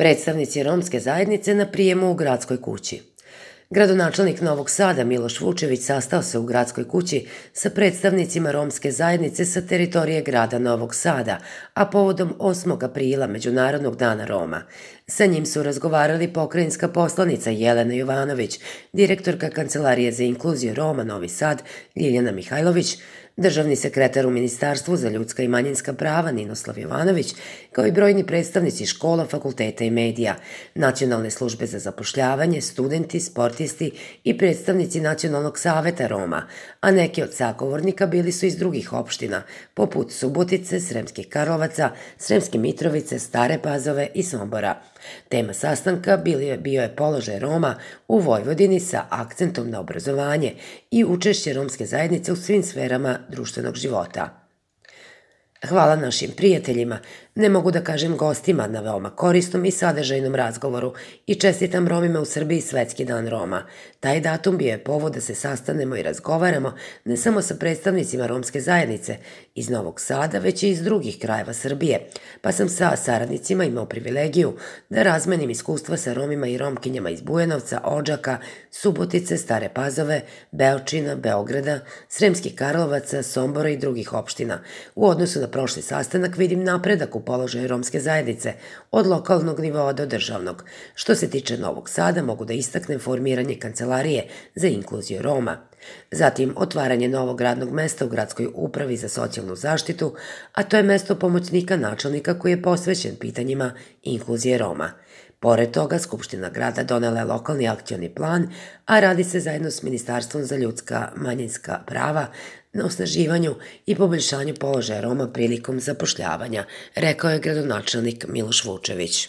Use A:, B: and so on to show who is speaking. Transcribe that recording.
A: Predstavnici romske zajednice na prijemu u Gradskoj kući. Gradonačelnik Novog Sada Miloš Vučević sastao se u Gradskoj kući sa predstavnicima romske zajednice sa teritorije grada Novog Sada, a povodom 8. aprila Međunarodnog dana Roma. Sa njim su razgovarali pokrajinska poslanica Jelena Jovanović, direktorka Kancelarije za inkluziju Roma Novi Sad Ljiljana Mihajlović, državni sekretar u Ministarstvu za ljudska i manjinska prava Ninoslav Jovanović, kao i brojni predstavnici škola, fakulteta i medija, Nacionalne službe za zapošljavanje, studenti, sportisti i predstavnici Nacionalnog saveta Roma, a neki od sagovornika bili su iz drugih opština, poput Subotice, Sremskih Karlovaca, Sremske Mitrovice, Stare Pazove i Sombora. Tema sastanka bio je položaj Roma u Vojvodini sa akcentom na obrazovanje i učešće romske zajednice u svim sferama društvenog života. Hvala našim prijateljima, ne mogu da kažem gostima, na veoma korisnom i sadržajnom razgovoru i čestitam Romima u Srbiji Svetski dan Roma. Taj datum bio je povod da se sastanemo i razgovaramo ne samo sa predstavnicima romske zajednice iz Novog Sada, već i iz drugih krajeva Srbije, pa sam sa saradnicima imao privilegiju da razmenim iskustva sa Romima i Romkinjama iz Bujanovca, Odžaka, Subotice, Stare Pazove, Beočina, Beograda, Sremskih Karlovaca, Sombora i drugih opština. U odnosu na prošli sastanak vidim napredak u položaju romske zajednice, od lokalnog nivoa do državnog. Što se tiče Novog Sada, mogu da istaknem formiranje Kancelarije za inkluziju Roma. Zatim, otvaranje novog radnog mesta u Gradskoj upravi za socijalnu zaštitu, a to je mesto pomoćnika načelnika koji je posvećen pitanjima inkluzije Roma. Pored toga, Skupština grada donela je lokalni akcioni plan, a radi se zajedno s Ministarstvom za ljudska manjinska prava na osnaživanju i poboljšanju položaja Roma prilikom zapošljavanja, rekao je gradonačelnik Miloš Vučević.